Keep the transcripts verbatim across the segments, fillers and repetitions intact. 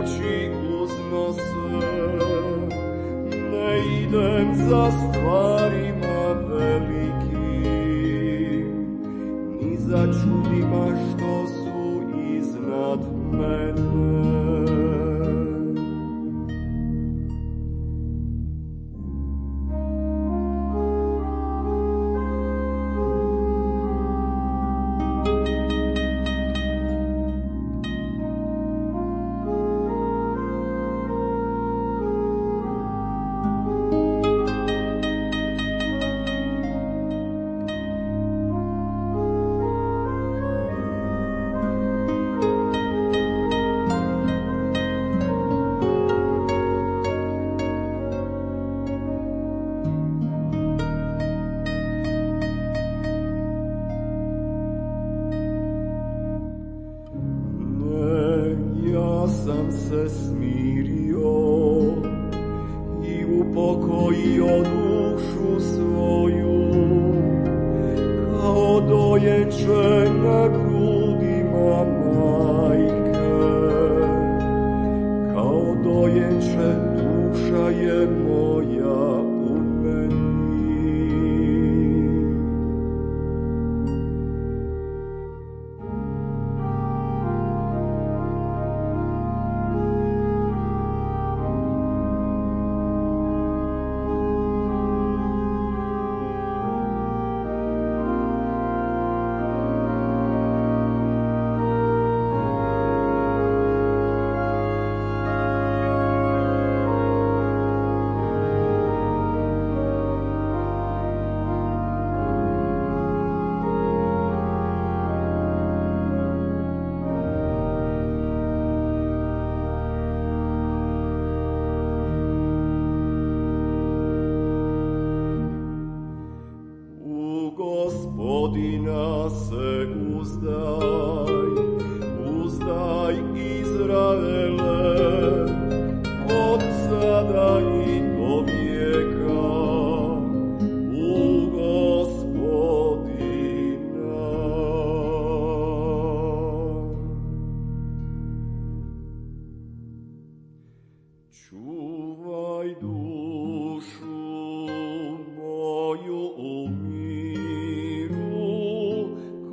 riječi uznose, ne idem za stvarima velikim, ni za čudima što su iznad mene. Sam se smirio i upokojio dušu svoju, kao dojenče na grudima majke, kao dojenče duša je moja u meni. Gospodina se uzdaj, uzdaj Izraele, od sada i do vijeka, u Gospodina. Čuvaj dušu moju u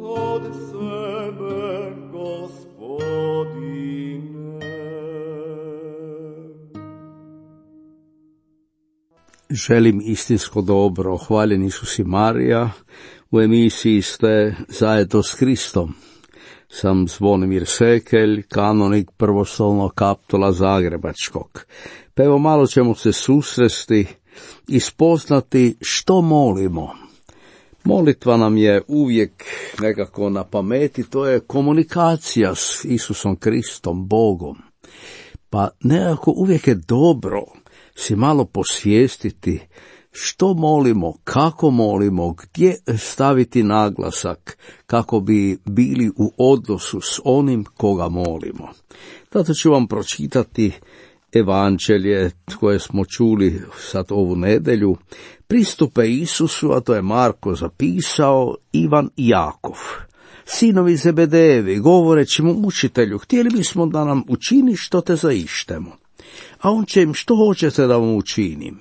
od sebe, Gospodine. Želim istinsko dobro. Hvaljen Isus i Marija. U emisiji ste zajedno s Kristom. Sam Zvonimir Sekelj, kanonik prvostolnog kaptula Zagrebačkog. Pa evo malo ćemo se susresti i spoznati što molimo. Molitva nam je uvijek nekako na pameti, to je komunikacija s Isusom Kristom, Bogom. Pa nekako uvijek je dobro si malo posvijestiti što molimo, kako molimo, gdje staviti naglasak kako bi bili u odnosu s onim koga molimo. Zato ću vam pročitati evanđelje koje smo čuli sad ovu nedjelju. Pristupe Isusu, a to je Marko zapisao, Ivan i Jakov, sinovi Zebedejevi, govoreći mu: učitelju, htjeli bismo da nam učini što te zaištemo. A on će im: što hoćete da vam učinim?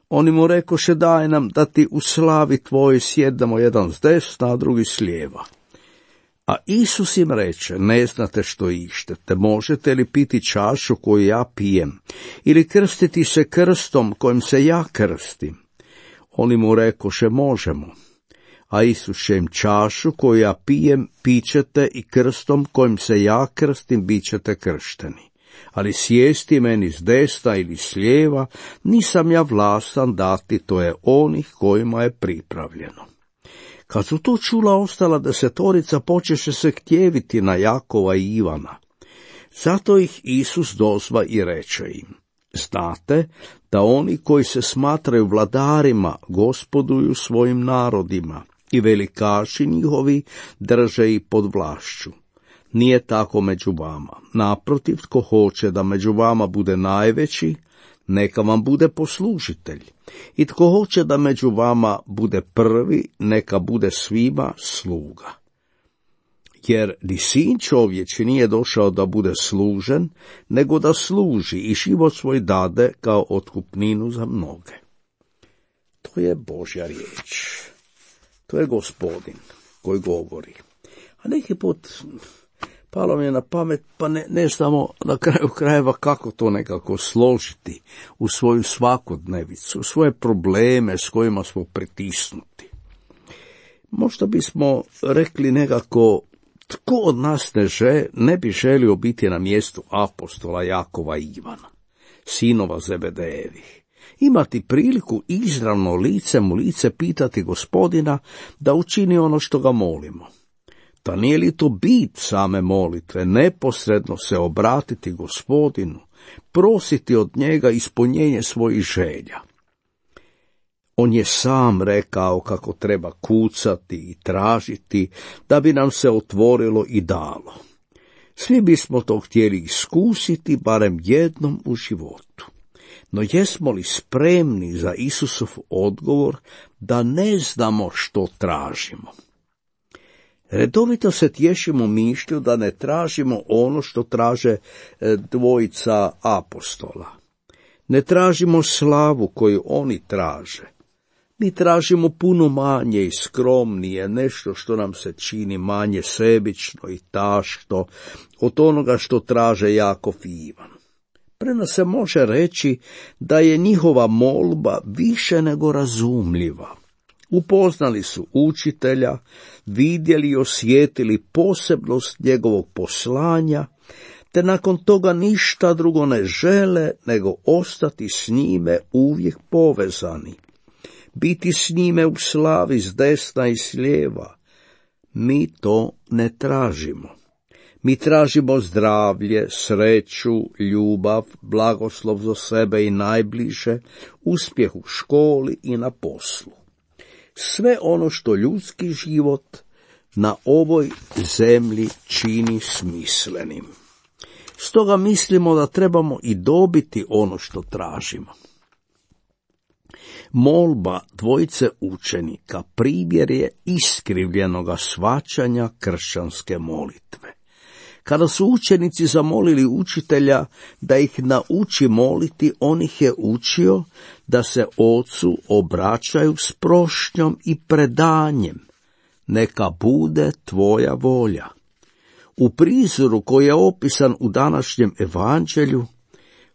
Oni mu rekoše: daj nam da ti u slavi tvojoj sjednemo jedan s desna, a drugi s lijeva. A Isus im reče: ne znate što ištete, možete li piti čašu koju ja pijem, ili krstiti se krstom kojim se ja krstim? Oni mu rekoše: možemo. A Isus će im: čašu koju ja pijem pićete i krstom kojim se ja krstim bit ćete kršteni. Ali sjesti meni s desna ili s lijeva nisam ja vlastan dati, to je onih kojima je pripravljeno. Kad su to čula, ostala desetorica počeše se htjeviti na Jakova i Ivana. Zato ih Isus dozva i reče im: znate da oni koji se smatraju vladarima gospoduju svojim narodima i velikaši njihovi drže ih pod vlašću. Nije tako među vama. Naprotiv, tko hoće da među vama bude najveći, neka vam bude poslužitelj. I tko hoće da među vama bude prvi, neka bude svima sluga. jer ni sin čovječi nije došao da bude služen, nego da služi i život svoj dade kao otkupninu za mnoge. To je Božja riječ. To je Gospodin koji govori. A neki put palo mi je na pamet, pa ne, ne znamo na kraju krajeva kako to nekako složiti u svoju svakodnevicu, u svoje probleme s kojima smo pritisnuti. Možda bismo rekli nekako, tko od nas ne, že, ne bi želio biti na mjestu apostola Jakova i Ivana, sinova Zebedejevih, imati priliku izravno licem u lice pitati Gospodina da učini ono što ga molimo. Da nije li to bit same molitve, neposredno se obratiti Gospodinu, prositi od njega ispunjenje svojih želja. On je sam rekao kako treba kucati i tražiti da bi nam se otvorilo i dalo. Svi bismo to htjeli iskusiti barem jednom u životu. No jesmo li spremni za Isusov odgovor da ne znamo što tražimo? Redovito se tješimo mišlju da ne tražimo ono što traže dvojica apostola. Ne tražimo slavu koju oni traže. Mi tražimo puno manje i skromnije, nešto što nam se čini manje sebično i tašto od onoga što traže Jakov i Ivan. Prema se može reći da je njihova molba više nego razumljiva. Upoznali su učitelja, vidjeli i osjetili posebnost njegovog poslanja, te nakon toga ništa drugo ne žele nego ostati s njime uvijek povezani, biti s njime u slavi s desna i s lijeva. Mi to ne tražimo. Mi tražimo zdravlje, sreću, ljubav, blagoslov za sebe i najbliže, uspjeh u školi i na poslu. Sve ono što ljudski život na ovoj zemlji čini smislenim. Stoga mislimo da trebamo i dobiti ono što tražimo. Molba dvojice učenika primjer je iskrivljenoga shvaćanja kršćanske molitve. Kada su učenici zamolili učitelja da ih nauči moliti, on ih je učio da se Ocu obraćaju s prošnjom i predanjem. Neka bude tvoja volja. U prizoru koji je opisan u današnjem evanđelju,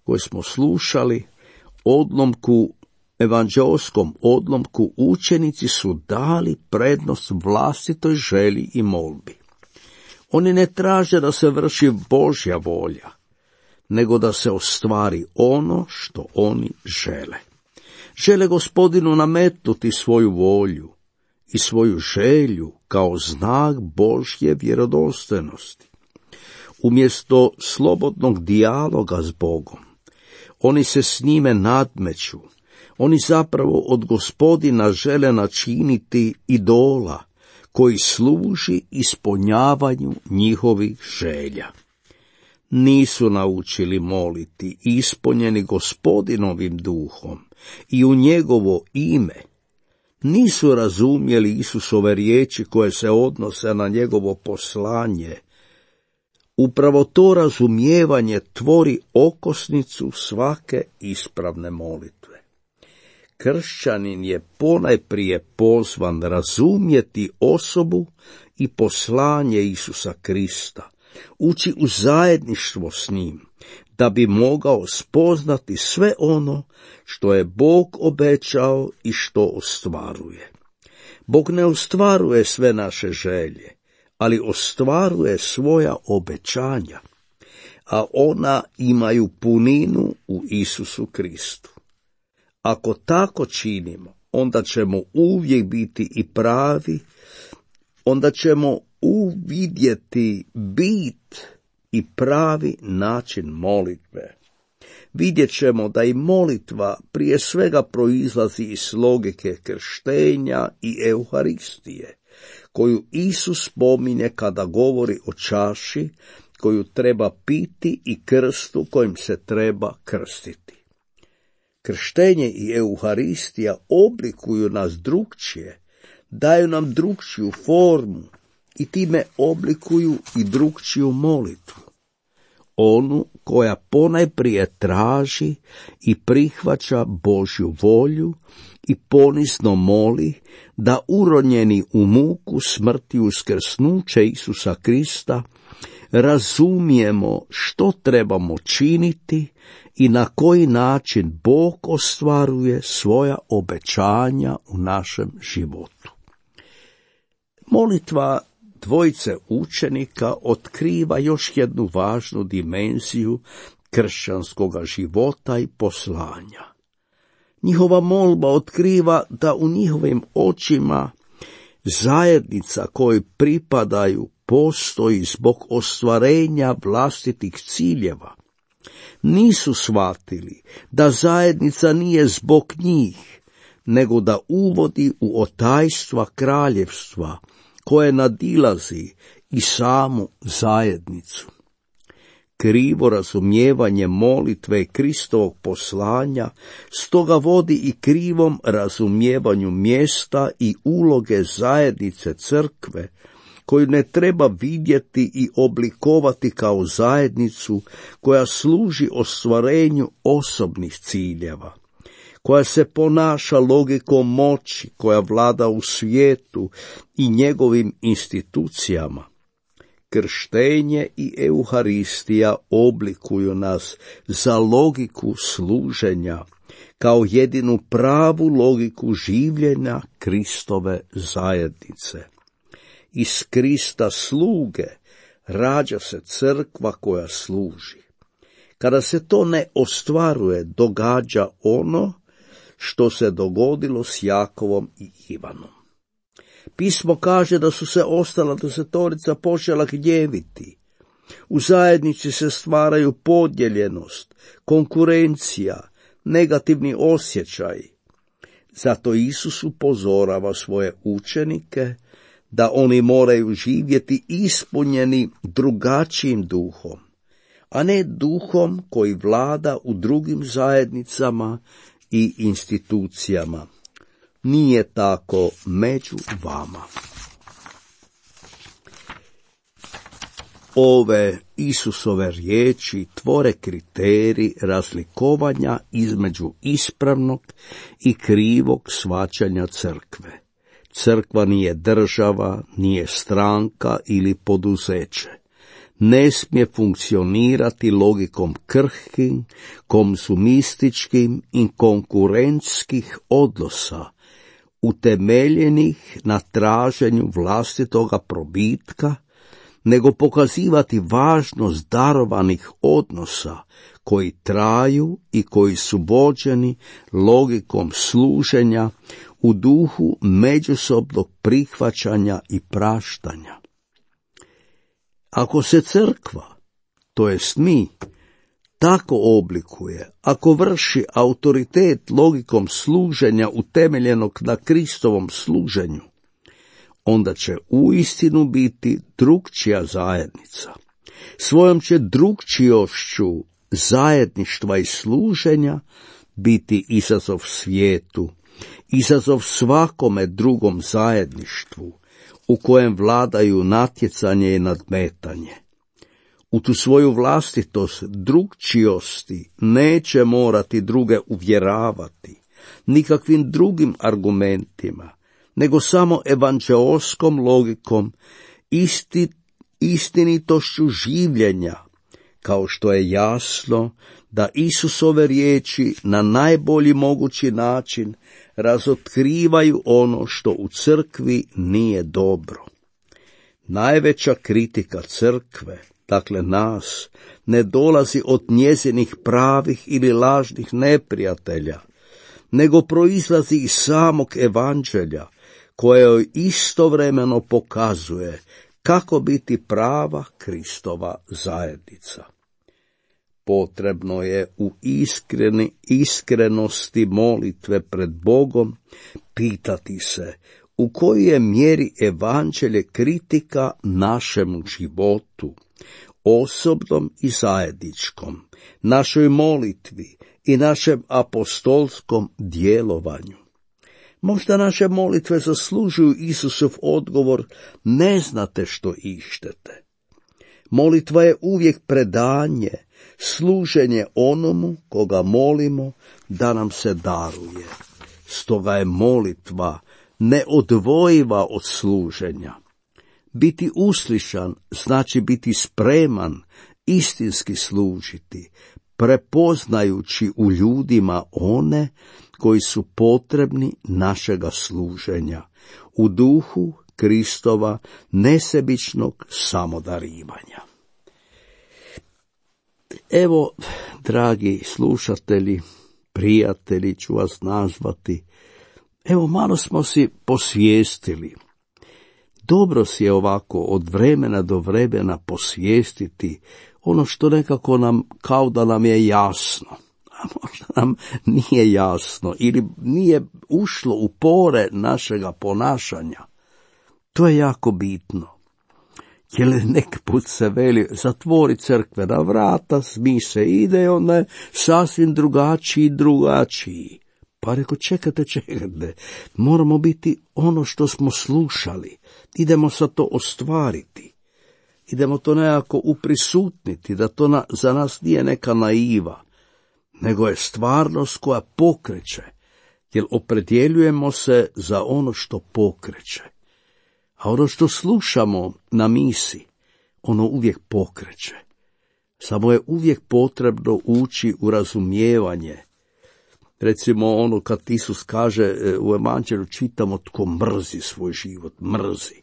koji smo slušali, odlomku, evanđeoskom odlomku, učenici su dali prednost vlastitoj želji i molbi. Oni ne traže da se vrši Božja volja, nego da se ostvari ono što oni žele. Žele Gospodinu nametnuti svoju volju i svoju želju kao znak Božje vjerodostojnosti. Umjesto slobodnog dijaloga s Bogom, oni se s njime nadmeću. Oni zapravo od Gospodina žele načiniti idola koji služi ispunjavanju njihovih želja. Nisu naučili moliti ispunjeni Gospodinovim duhom i u njegovo ime. Nisu razumjeli Isusove riječi koje se odnose na njegovo poslanje. Upravo to razumijevanje tvori okosnicu svake ispravne molitve. Kršćanin je ponajprije pozvan razumjeti osobu i poslanje Isusa Krista, ući u zajedništvo s njim, da bi mogao spoznati sve ono što je Bog obećao i što ostvaruje. Bog ne ostvaruje sve naše želje, ali ostvaruje svoja obećanja, a ona imaju puninu u Isusu Kristu. Ako tako činimo, onda ćemo uvijek biti i pravi, onda ćemo uvidjeti bit i pravi način molitve. Vidjet ćemo da i molitva prije svega proizlazi iz logike krštenja i Euharistije, koju Isus spominje kada govori o čaši koju treba piti i krstu kojim se treba krstiti. Krštenje i Euharistija oblikuju nas drukčije, daju nam drukčiju formu i time oblikuju i drukčiju molitvu. Onu koja ponajprije traži i prihvaća Božju volju i ponizno moli da uronjeni u muku smrti i uskrsnuće Isusa Krista razumijemo što trebamo činiti i na koji način Bog ostvaruje svoja obećanja u našem životu. Molitva dvojice učenika otkriva još jednu važnu dimenziju kršćanskoga života i poslanja. Njihova molba otkriva da u njihovim očima zajednica kojoj pripadaju postoji zbog ostvarenja vlastitih ciljeva. Nisu shvatili da zajednica nije zbog njih, nego da uvodi u otajstva kraljevstva koje nadilazi i samu zajednicu. Krivo razumijevanje molitve Kristovog poslanja stoga vodi i krivom razumijevanju mjesta i uloge zajednice crkve, koju ne treba vidjeti i oblikovati kao zajednicu koja služi ostvarenju osobnih ciljeva, koja se ponaša logikom moći, koja vlada u svijetu i njegovim institucijama. Krštenje i Euharistija oblikuju nas za logiku služenja, kao jedinu pravu logiku življenja Kristove zajednice. Iz Krista sluge rađa se crkva koja služi. Kada se to ne ostvaruje, događa ono što se dogodilo s Jakovom i Ivanom. Pismo kaže da su se ostala desetorica počela gnjeviti. U zajednici se stvaraju podijeljenost, konkurencija, negativni osjećaj. Zato Isus upozorava svoje učenike da oni moraju živjeti ispunjeni drugačijim duhom, a ne duhom koji vlada u drugim zajednicama i institucijama. Nije tako među vama. Ove Isusove riječi tvore kriterij razlikovanja između ispravnog i krivog shvaćanja crkve. Crkva nije država, nije stranka ili poduzeće. Ne smije funkcionirati logikom krhkim, konzumističkim i konkurentskih odnosa, utemeljenih na traženju vlastitoga probitka, nego pokazivati važnost darovanih odnosa koji traju i koji su vođeni logikom služenja u duhu međusobnog prihvaćanja i praštanja. Ako se crkva, to jest mi, tako oblikuje, ako vrši autoritet logikom služenja utemeljenog na Kristovom služenju, onda će uistinu biti drukčija zajednica. Svojom će drukčijošću zajedništva i služenja biti izazov svijetu, izazov svakome drugom zajedništvu, u kojem vladaju natjecanje i nadmetanje. U tu svoju vlastitost drukčijosti neće morati druge uvjeravati, nikakvim drugim argumentima, nego samo evanđeoskom logikom, isti, istinitošću življenja, kao što je jasno da Isusove riječi na najbolji mogući način razotkrivaju ono što u crkvi nije dobro. Najveća kritika crkve, dakle nas, ne dolazi od njezinih pravih ili lažnih neprijatelja, nego proizlazi iz samog evanđelja, koje joj istovremeno pokazuje kako biti prava Kristova zajednica. Potrebno je u iskreni, iskrenosti molitve pred Bogom pitati se u kojoj je mjeri evanđelje kritika našemu životu, osobnom i zajedničkom, našoj molitvi i našem apostolskom djelovanju. Možda naše molitve zaslužuju Isusov odgovor, ne znate što ištete. Molitva je uvijek predanje, služenje onomu koga molimo da nam se daruje. Stoga je molitva neodvojiva od služenja. Biti uslišan znači biti spreman istinski služiti, prepoznajući u ljudima one koji su potrebni našega služenja, u duhu Kristova nesebičnog samodarivanja. Evo, dragi slušatelji, prijatelji ću vas nazvati, evo malo smo si posvijestili. Dobro si je ovako od vremena do vremena posvijestiti ono što nekako nam, kao da nam je jasno, a možda nam nije jasno ili nije ušlo u pore našega ponašanja. To je jako bitno. Jer nek put se veli, zatvori crkvena vrata, smi se ide, onda je sasvim drugačiji, drugačiji. Pa reko, čekajte, čekajte, moramo biti ono što smo slušali, idemo sa to ostvariti, idemo to nekako uprisutniti, da to na, za nas nije neka naiva, nego je stvarnost koja pokreće, jer opredjeljujemo se za ono što pokreće. A ono što slušamo na misi, ono uvijek pokreće. Samo je uvijek potrebno ući u razumijevanje. Recimo ono kad Isus kaže u Evanđelju, čitamo tko mrzi svoj život, mrzi.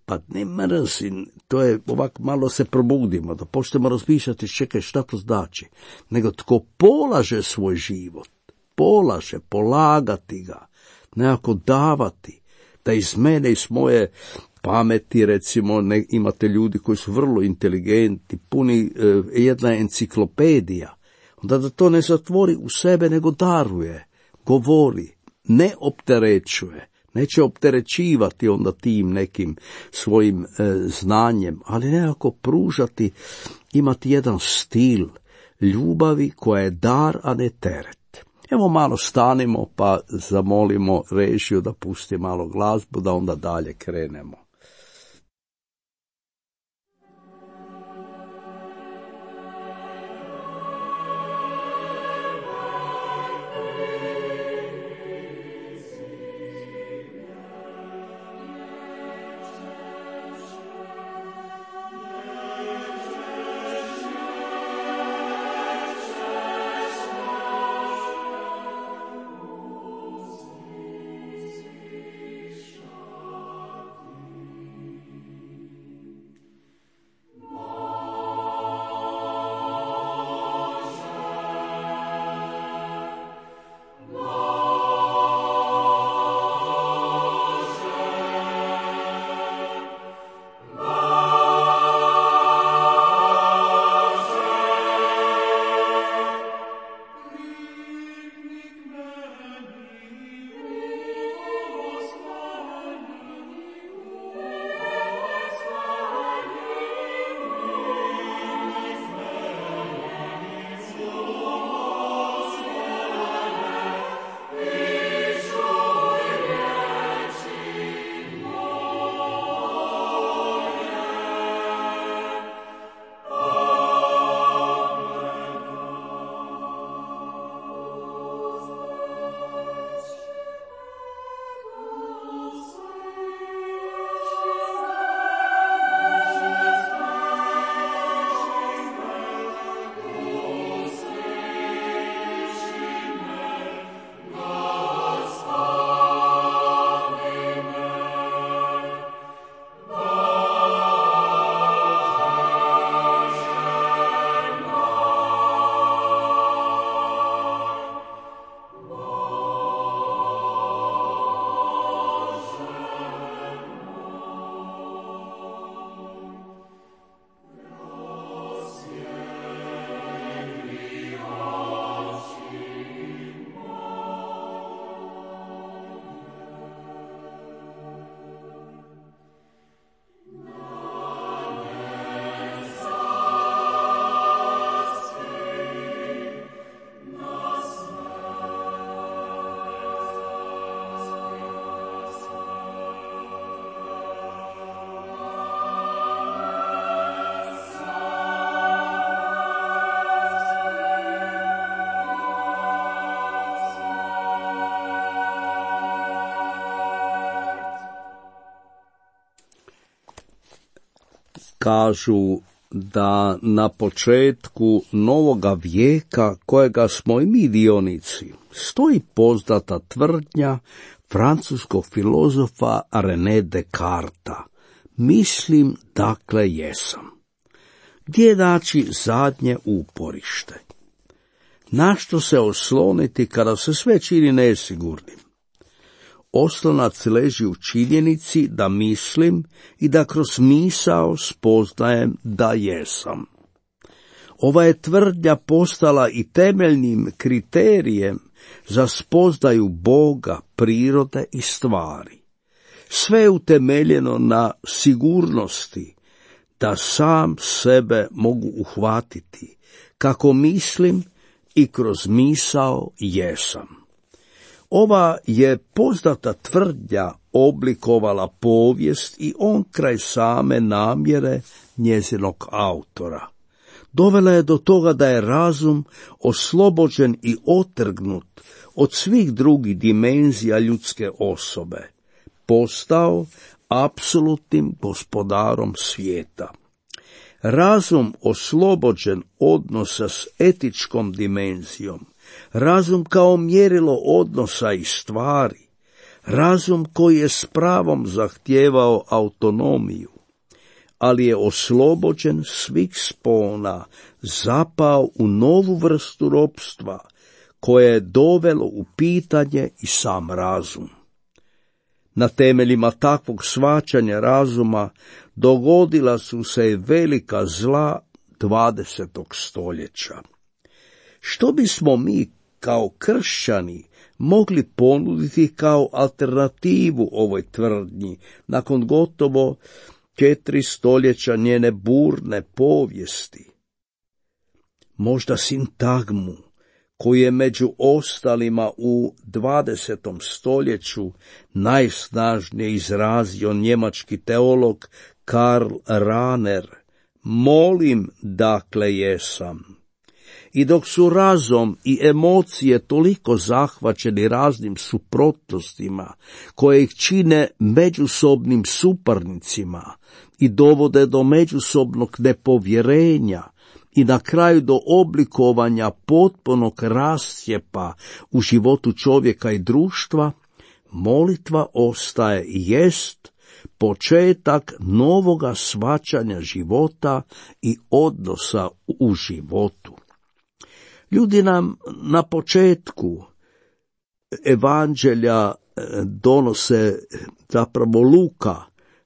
Pa ne mrzi, to je ovak malo se probudimo, da počnemo razmišljati, čekaj šta to znači. Nego tko polaže svoj život, polaže, polagati ga, nekako davati, da iz mene, iz moje pameti, recimo, ne, imate ljudi koji su vrlo inteligentni, puni e, jedna enciklopedija, onda da to ne zatvori u sebe, nego daruje, govori, ne opterećuje, neće opterećivati onda tim nekim svojim e, znanjem, ali nekako pružati, imati jedan stil ljubavi koja je dar, a ne teret. Evo malo stanimo pa zamolimo režiju da pusti malo glazbu, da onda dalje krenemo. kažu da na početku novoga vijeka, kojega smo i mi dionici, stoji poznata tvrdnja francuskog filozofa René Descartesa: mislim, dakle jesam. Gdje je naći zadnje uporište? Na što se osloniti kada se sve čini nesigurnim? Oslonac leži u činjenici da mislim i da kroz misao spoznajem da jesam. Ova je tvrdnja postala i temeljnim kriterijem za spoznaju Boga, prirode i stvari. Sve je utemeljeno na sigurnosti da sam sebe mogu uhvatiti, kako mislim i kroz misao jesam. Ova je poznata tvrdnja oblikovala povijest i onkraj same namjere njezinog autora. Dovela je do toga da je razum oslobođen i otrgnut od svih drugih dimenzija ljudske osobe, postao apsolutnim gospodarom svijeta. Razum oslobođen odnosa s etičkom dimenzijom, razum kao mjerilo odnosa i stvari, razum koji je s pravom zahtijevao autonomiju, ali je oslobođen svih spona, zapao u novu vrstu ropstva, koje je dovelo u pitanje i sam razum. Na temeljima takvog shvaćanja razuma dogodila su se i velika zla dvadesetog stoljeća. Što bismo mi kao kršćani mogli ponuditi kao alternativu ovoj tvrdnji nakon gotovo četiri stoljeća njene burne povijesti? Možda sintagmu koji je među ostalima u dvadesetom stoljeću najsnažnije izrazio njemački teolog Karl Rahner: molim, dakle jesam. I dok su razum i emocije toliko zahvaćeni raznim suprotnostima koje ih čine međusobnim suparnicima i dovode do međusobnog nepovjerenja i na kraju do oblikovanja potpunog rascjepa u životu čovjeka i društva, molitva ostaje i jest početak novoga shvaćanja života i odnosa u životu. Ljudi nam na početku evanđelja donose, zapravo Luka,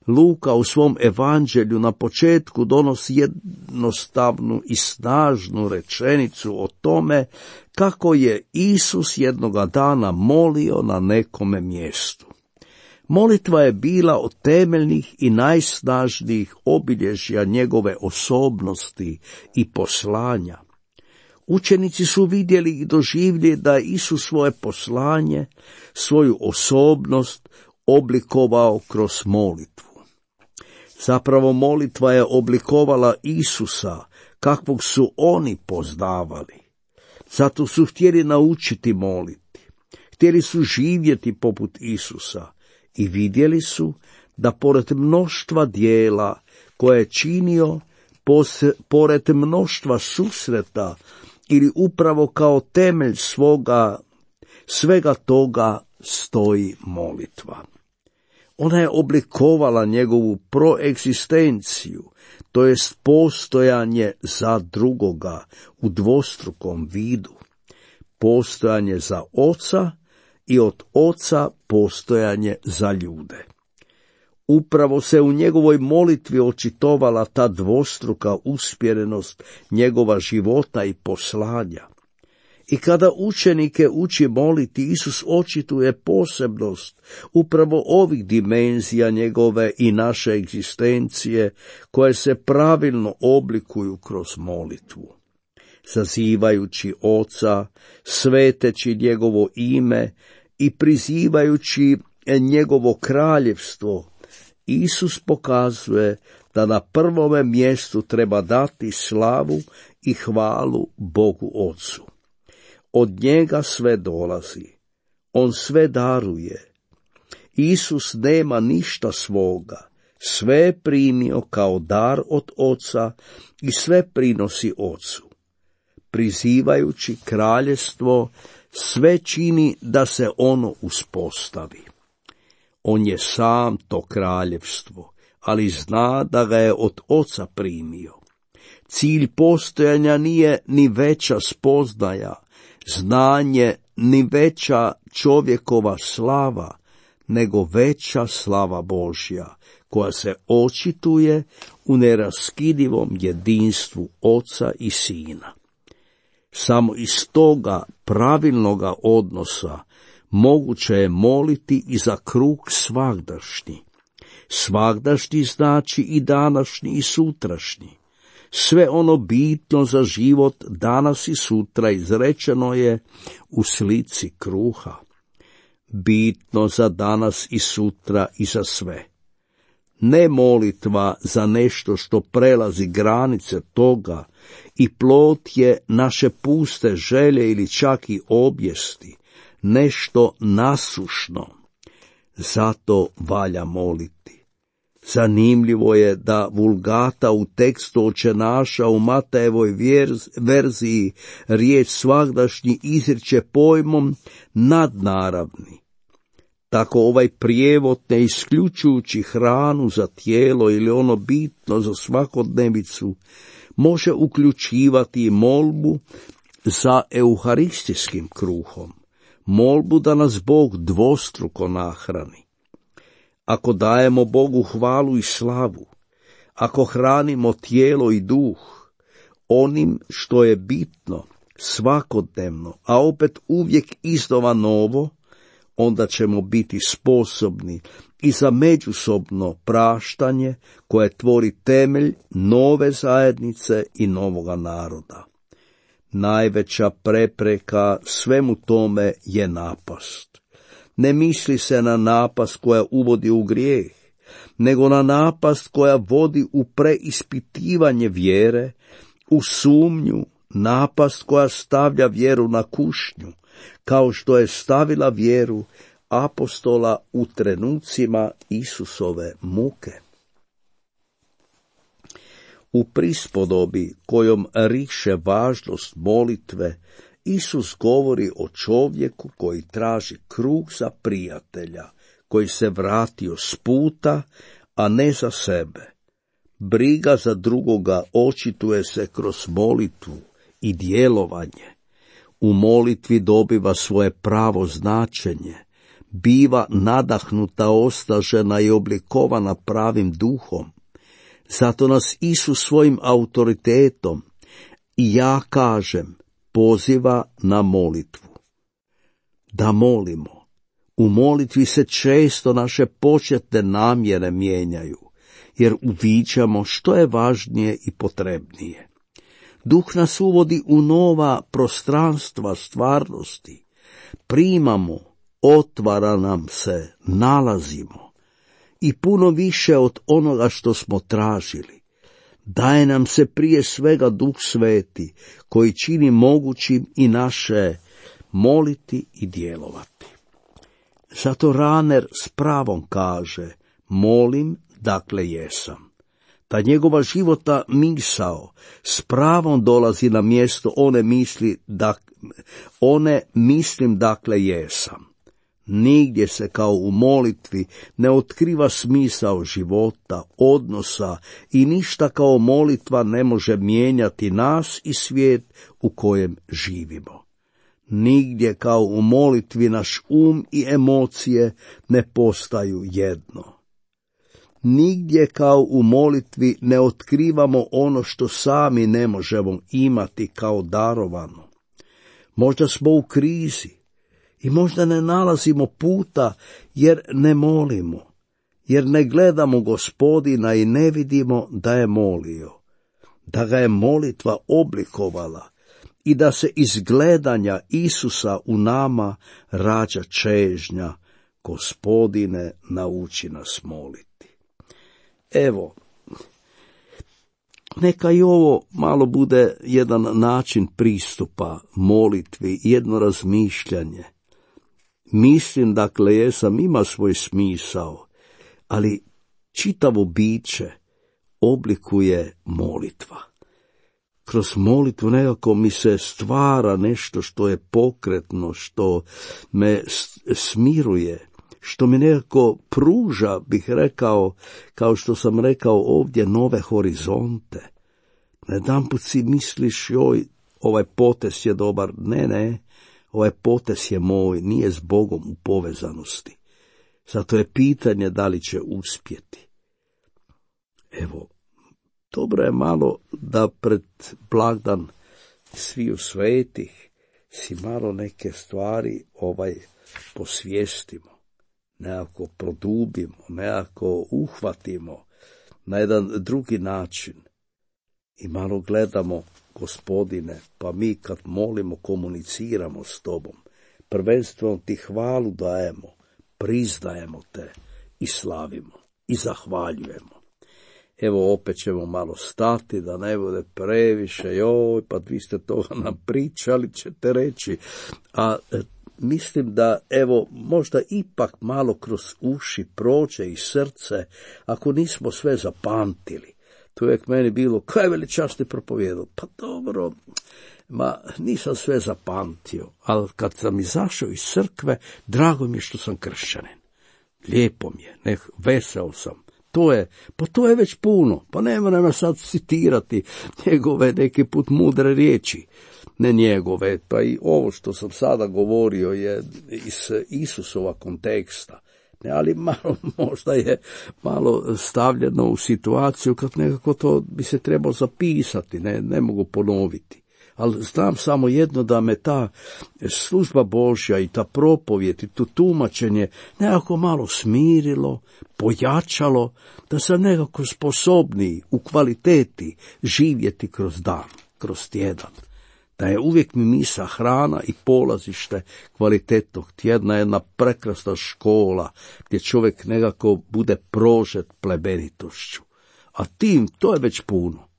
Luka u svom evanđelju na početku donosi jednostavnu i snažnu rečenicu o tome kako je Isus jednoga dana molio na nekome mjestu. Molitva je bila od temeljnih i najsnažnijih obilježja njegove osobnosti i poslanja. Učenici su vidjeli i doživjeli da je Isus svoje poslanje, svoju osobnost oblikovao kroz molitvu. Zapravo molitva je oblikovala Isusa kakvog su oni poznavali. Zato su htjeli naučiti moliti. Htjeli su živjeti poput Isusa i vidjeli su da pored mnoštva dijela koje je činio, pose, pored mnoštva susreta ili upravo kao temelj svoga, svega toga stoji molitva. Ona je oblikovala njegovu proegzistenciju, to jest postojanje za drugoga u dvostrukom vidu. Postojanje za oca i od oca postojanje za ljude. Upravo se u njegovoj molitvi očitovala ta dvostruka usmjerenost njegova života i poslanja. I kada učenike uči moliti, Isus očituje posebnost upravo ovih dimenzija njegove i naše egzistencije, koje se pravilno oblikuju kroz molitvu. Zazivajući Oca, sveteći njegovo ime i prizivajući njegovo kraljevstvo, Isus pokazuje da na prvome mjestu treba dati slavu i hvalu Bogu Ocu. Od njega sve dolazi, on sve daruje. Isus nema ništa svoga, Sve je primio kao dar od Oca i sve prinosi Ocu. Prizivajući kraljevstvo, sve čini da se ono uspostavi. On je sam to kraljevstvo, ali zna da ga je od Oca primio. Cilj postojanja nije ni veća spoznaja, znanje, ni veća čovjekova slava, nego veća slava Božja, koja se očituje u neraskidivom jedinstvu Oca i Sina. Samo iz toga pravilnoga odnosa moguće je moliti i za krug svagdašnji. Svagdašnji znači i današnji i sutrašnji. Sve ono bitno za život danas i sutra izrečeno je u slici kruha. Bitno za danas i sutra i za sve. Ne molitva za nešto što prelazi granice toga i plod je naše puste želje ili čak i objesti, nešto nasušno. Zato valja moliti. Zanimljivo je da Vulgata u tekstu Očenaša u Matejevoj verziji riječ svagdašnji izriče pojmom nadnaravni. Tako ovaj prijevod, ne isključujući hranu za tijelo ili ono bitno za svakodnevicu, može uključivati i molbu za euharistijskim kruhom, molbu da nas Bog dvostruko nahrani. Ako dajemo Bogu hvalu i slavu, ako hranimo tijelo i duh, onim što je bitno, svakodnevno, a opet uvijek iznova novo, onda ćemo biti sposobni i za međusobno praštanje koje tvori temelj nove zajednice i novoga naroda. Najveća prepreka svemu tome je napast. Ne misli se na napast koja uvodi u grijeh, nego na napast koja vodi u preispitivanje vjere, u sumnju, napast koja stavlja vjeru na kušnju, kao što je stavila vjeru apostola u trenucima Isusove muke. U prispodobi kojom riše važnost molitve, Isus govori o čovjeku koji traži krug za prijatelja, koji se vratio s puta, a ne za sebe. Briga za drugoga očituje se kroz molitvu i djelovanje. U molitvi dobiva svoje pravo značenje, biva nadahnuta, osnažena i oblikovana pravim duhom. Zato nas Isus svojim autoritetom, i ja kažem, poziva na molitvu. Da molimo. U molitvi se često naše početne namjere mijenjaju, jer uviđamo što je važnije i potrebnije. Duh nas uvodi u nova prostranstva stvarnosti. Primamo, otvara nam se, nalazimo. I puno više od onoga što smo tražili. Daje nam se prije svega Duh Sveti, koji čini mogućim i naše moliti i djelovati. Zato Rahner s pravom kaže, molim, dakle jesam. Ta njegova života misao s pravom dolazi na mjesto one misli, da, one mislim dakle jesam. Nigdje se kao u molitvi ne otkriva smisao života, odnosa i ništa kao molitva ne može mijenjati nas i svijet u kojem živimo. Nigdje kao u molitvi naš um i emocije ne postaju jedno. Nigdje kao u molitvi ne otkrivamo ono što sami ne možemo imati kao darovano. Možda smo u krizi i možda ne nalazimo puta jer ne molimo, jer ne gledamo Gospodina i ne vidimo da je molio, da ga je molitva oblikovala i da se iz gledanja Isusa u nama rađa čežnja, Gospodine, nauči nas moliti. Evo, neka i ovo malo bude jedan način pristupa molitvi, jedno razmišljanje. Mislim, dakle, jesam ima svoj smisao, ali čitavo biće oblikuje molitva. Kroz molitvu nekako mi se stvara nešto što je pokretno, što me smiruje, što mi nekako pruža, bih rekao, kao što sam rekao ovdje, nove horizonte. Na jedanput si misliš, joj, ovaj potez je dobar. Ne, ne, ovaj potez je moj, nije s Bogom u povezanosti. Zato je pitanje da li će uspjeti. Evo, dobro je malo da pred blagdan sviju svetih si malo neke stvari ovaj posvijestimo, nekako produbimo, nekako uhvatimo na jedan drugi način i malo gledamo, Gospodine, pa mi kad molimo komuniciramo s Tobom, prvenstveno Ti hvalu dajemo, priznajemo Te i slavimo i zahvaljujemo. Evo opet ćemo malo stati da ne bude previše, joj, pa vi ste toga nam pričali, ćete reći, a e, mislim da evo možda ipak malo kroz uši prođe i srce, ako nismo sve zapamtili. To je uvijek meni bilo, kaj veličasni propovijedao, pa dobro, ma nisam sve zapamtio, ali kad sam izašao iz crkve, drago mi je što sam kršćanin. Lijepo mi je, ne, veseo sam. To je, pa to je već puno, pa ne moram sad citirati njegove neki put mudre riječi, ne njegove, pa i ovo što sam sada govorio je iz Isusova konteksta, ne, ali malo, možda je malo stavljeno u situaciju kad nekako to bi se trebalo zapisati, ne, ne mogu ponoviti. Ali znam samo jedno, da me ta služba Božja i ta propovijed i to tumačenje nekako malo smirilo, pojačalo, da sam nekako sposobniji u kvaliteti živjeti kroz dan, kroz tjedan. Da je uvijek mi misa hrana i polazište kvalitetnog tjedna, jedna prekrasna škola gdje čovjek nekako bude prožet plebenitošću. A tim, to je već puno.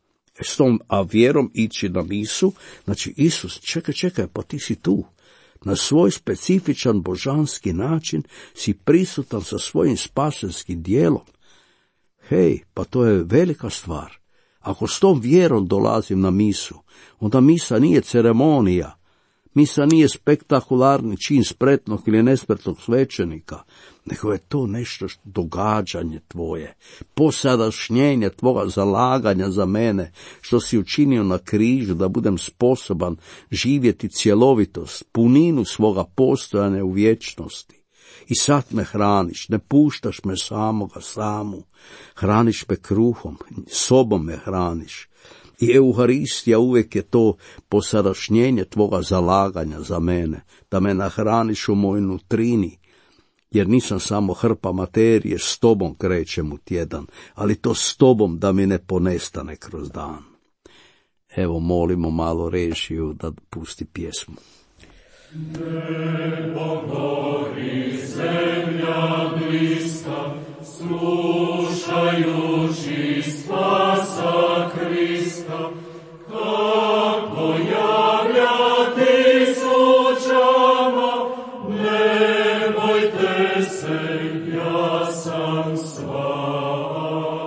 S tom, a vjerom ići na misu, znači Isus, čekaj, čekaj, pa ti si tu. Na svoj specifičan božanski način si prisutan sa svojim spasenskim dijelom. Hej, pa to je velika stvar. Ako s tom vjerom dolazim na misu, onda misa nije ceremonija, misa nije spektakularni čin spretnog ili nespretnog svećenika, nego je to nešto što, događanje tvoje, posadašnjenje tvoga zalaganja za mene, što si učinio na križu da budem sposoban živjeti cjelovitost, puninu svoga postojanja u vječnosti. I sad me hraniš, ne puštaš me samoga samu, hraniš me kruhom, sobom me hraniš. I Euharistija uvijek je to posadašnjenje tvoga zalaganja za mene, da me nahraniš u mojoj nutrini, jer nisam samo hrpa materije, s tobom krećem u tjedan, ali to s tobom da mi ne ponestane kroz dan. Evo, molimo malo režiju da pusti pjesmu. Nebo gori, zemlja bliska, slušajući spasa Krista, kako javlja tisućama, ne bojte se, ja sam s vama.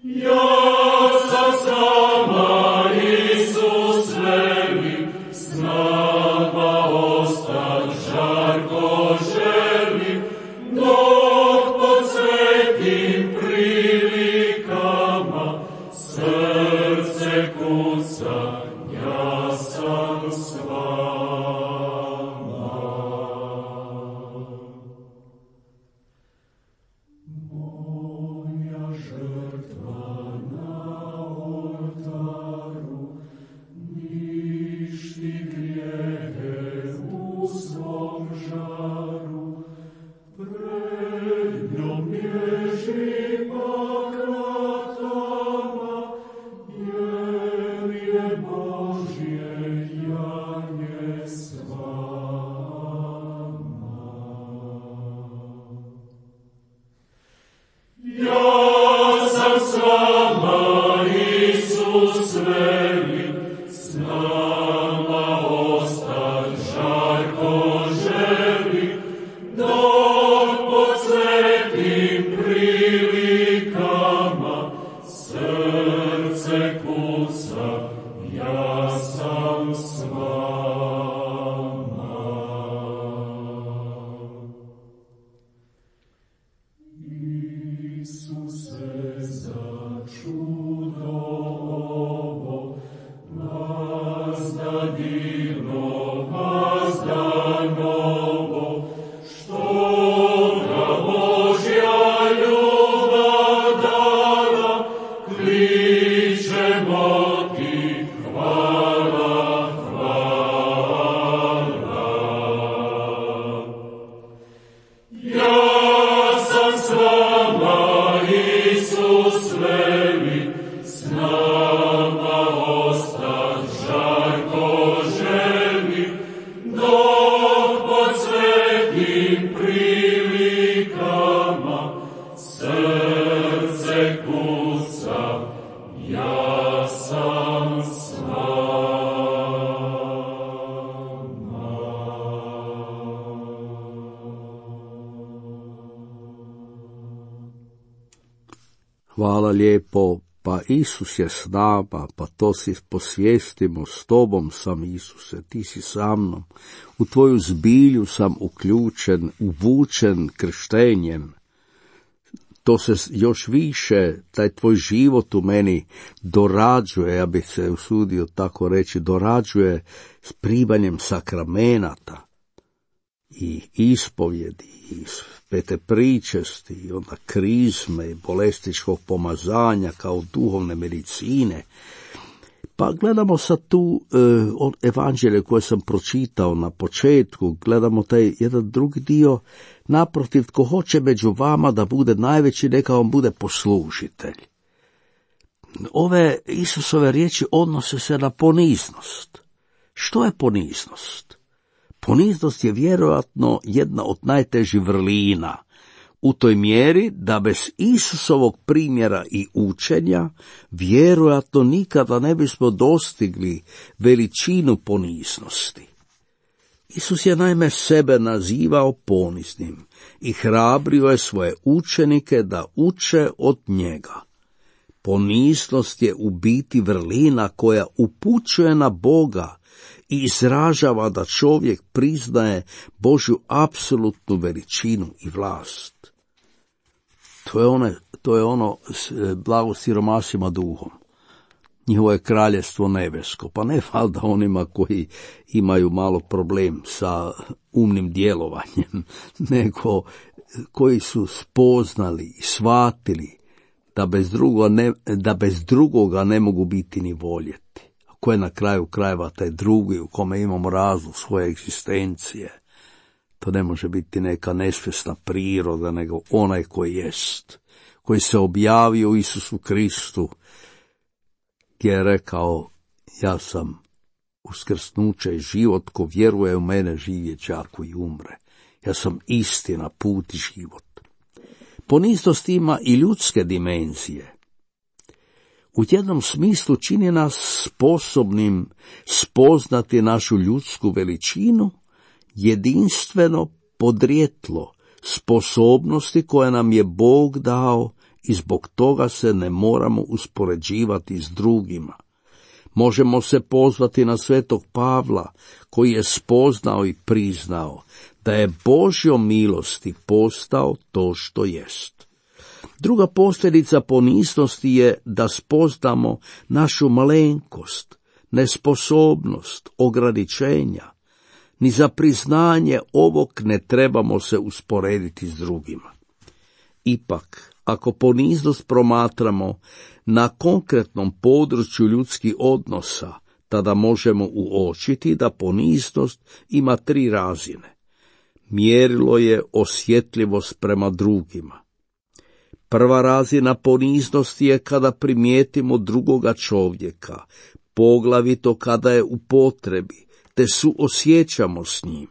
Ja sam s vama, Isus veli, s nama ostat žarko želi, dok pod svetim prilikama srce kuca, ja sam s vama. Moja žrtva na oltaru ništi grijehe u svom žaru, pred njom bježi pakratama, jer je Božje janje s vama. Ja sam s vama, Isus veli, s nama ostat žarko želi, dok pod sam s vama. Isuse, za čudo ovo, vazda divno, vazda novo, što ga Božja ljubav dala, kličemo ti hvala, hvala. Ja sam s vama, Isus veli, s nama ostat žarko želi, dok pod svetim prilikama srce kuca, ja sam s Hvala lijepo, pa Isus je s nama, pa to si posvijestimo, s tobom sam Isuse, ti si sa mnom, u tvoju zbilju sam uključen, uvučen krštenjem. To se još više, taj tvoj život u meni dorađuje, ja bih se usudio tako reći, dorađuje s primanjem sakramenata i ispovjedi, i pete pričesti, i onda krizme, i bolestičkog pomazanja kao duhovne medicine. Pa gledamo sad tu e, od evanđelje koje sam pročitao na početku, gledamo taj jedan drugi dio, naprotiv, tko hoće među vama da bude najveći, neka vam bude poslužitelj. Ove Isusove riječi odnose se na poniznost. Što je poniznost? Poniznost je vjerojatno jedna od najtežih vrlina, u toj mjeri da bez Isusovog primjera i učenja vjerojatno nikada ne bismo dostigli veličinu poniznosti. Isus je naime sebe nazivao poniznim i hrabrio je svoje učenike da uče od njega. Poniznost je u biti vrlina koja upućuje na Boga i izražava da čovjek priznaje Božju apsolutnu veličinu i vlast. To je, one, to je ono blago siromasima duhom. Njihovo je kraljestvo nebesko, pa ne valjda onima koji imaju malo problem sa umnim djelovanjem, nego koji su spoznali i shvatili da bez drugoga ne, da bez drugoga ne mogu biti ni voljeti. Ko je na kraju krajeva taj drugi u kome imamo razlog svoje egzistencije? To ne može biti neka nesvjesna priroda, nego onaj koji jest, koji se objavio u Isusu Kristu, gdje je rekao, ja sam uskrsnuće i život, ko vjeruje u mene živjet će ako i umre. Ja sam istina, put i život. Poniznost ima i ljudske dimenzije. U jednom smislu čini nas sposobnim spoznati našu ljudsku veličinu, jedinstveno podrijetlo sposobnosti koje nam je Bog dao i zbog toga se ne moramo uspoređivati s drugima. Možemo se pozvati na svetog Pavla, koji je spoznao i priznao da je Božjom milosti postao to što jest. Druga posljedica poniznosti je da spoznamo našu malenkost, nesposobnost, ograničenja. Ni za priznanje ovog ne trebamo se usporediti s drugima. Ipak, ako poniznost promatramo na konkretnom području ljudskih odnosa, tada možemo uočiti da poniznost ima tri razine. Mjerilo je osjetljivost prema drugima. Prva razina poniznosti je kada primijetimo drugoga čovjeka, poglavito kada je u potrebi, te suosjećamo s njim.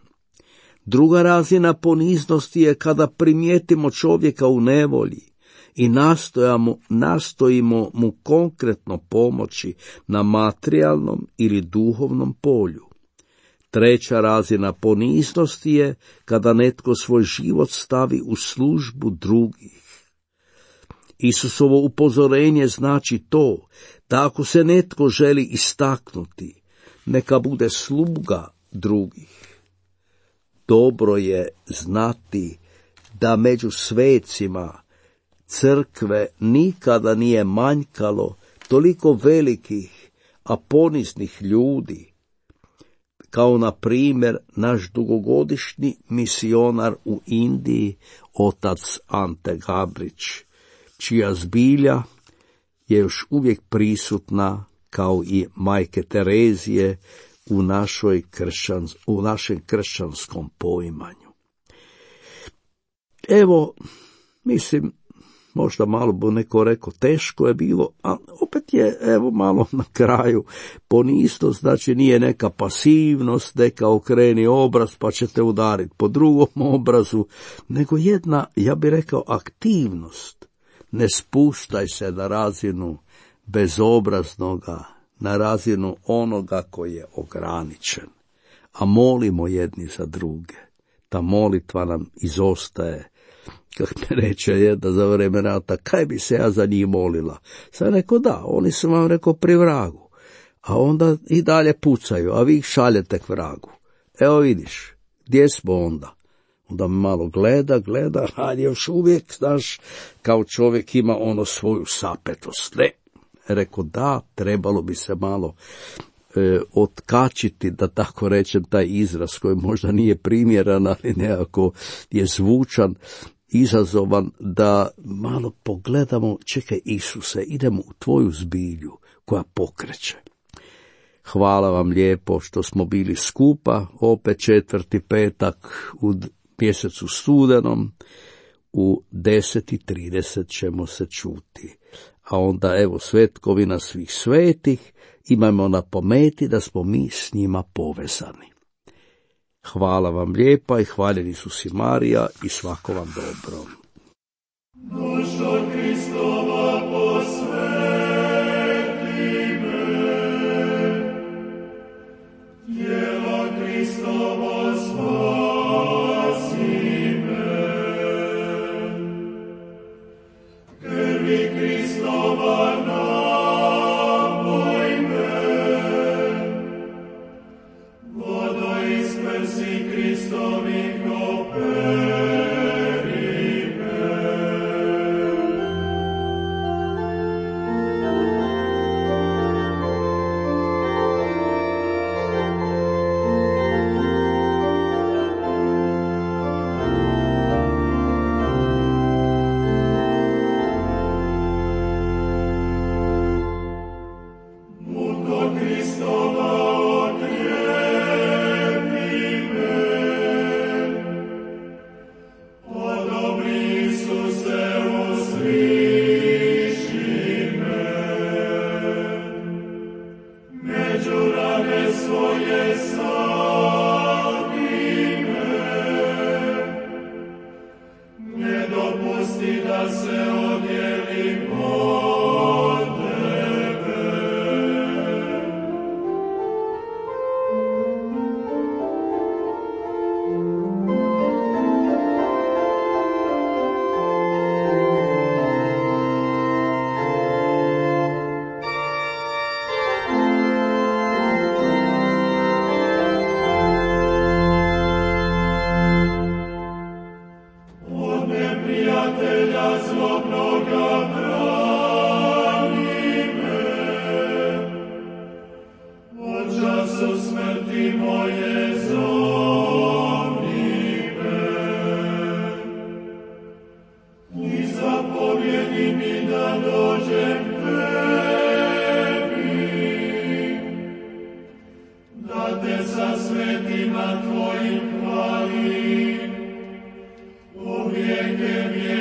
Druga razina poniznosti je kada primijetimo čovjeka u nevolji i nastojamo, nastojimo mu konkretno pomoći na materijalnom ili duhovnom polju. Treća razina poniznosti je kada netko svoj život stavi u službu drugih. Isusovo upozorenje znači to da ako se netko želi istaknuti, neka bude sluga drugih. Dobro je znati da među svecima crkve nikada nije manjkalo toliko velikih, a poniznih ljudi, kao na primjer naš dugogodišnji misionar u Indiji, otac Ante Gabrić, čija zbilja je još uvijek prisutna kao i majke Terezije u, našoj kršćans, u našem kršćanskom poimanju. Evo, mislim, možda malo bo neko rekao, teško je bilo, a opet je, evo, malo na kraju poniznost, znači nije neka pasivnost, neka okreni obraz pa ćete udariti po drugom obrazu, nego jedna, ja bih rekao, aktivnost. Ne spuštaj se na razinu bezobraznoga, na razinu onoga koji je ograničen, a molimo jedni za druge. Ta molitva nam izostaje. Kako mi reče jedna za vreme rata, kaj bi se ja za njih molila? Sam rekao, da, oni su vam rekao pri vragu, a onda i dalje pucaju, a vi ih šaljete k vragu. Evo vidiš, gdje smo onda? Onda me malo gleda, gleda, a još uvijek, znaš, kao čovjek ima ono svoju sapetost. Ne, rekao, da, trebalo bi se malo e, otkačiti, da tako rečem, taj izraz koji možda nije primjeran, ali nekako je zvučan, izazovan, da malo pogledamo, čekaj Isuse, idemo u tvoju zbilju koja pokreće. Hvala vam lijepo što smo bili skupa, opet četvrti petak u mjesecu studenom, u deset i trideset ćemo se čuti. A onda evo svetkovina svih svetih, imamo na pameti da smo mi s njima povezani. Hvala vam lijepa i hvaljen Isus i Marija i svako vam dobro. Dušo Kristova posveti me, tijelo Kristovo spasi me, krvi Kristova napoj me, vodo iz prsi Kristovih operi me. Muko Kristova okrijepi me, o dobri Isuse uzviši me, među rane svoje sakri me, ne dopusti da se odjelim od tebe. Od neprijatelja zlobnoga brani me, od času smrti moje zovni me, i zapovjedi mi da dođem tebi, da te sa svetima tvojim hvalim, u vijeke vijeke.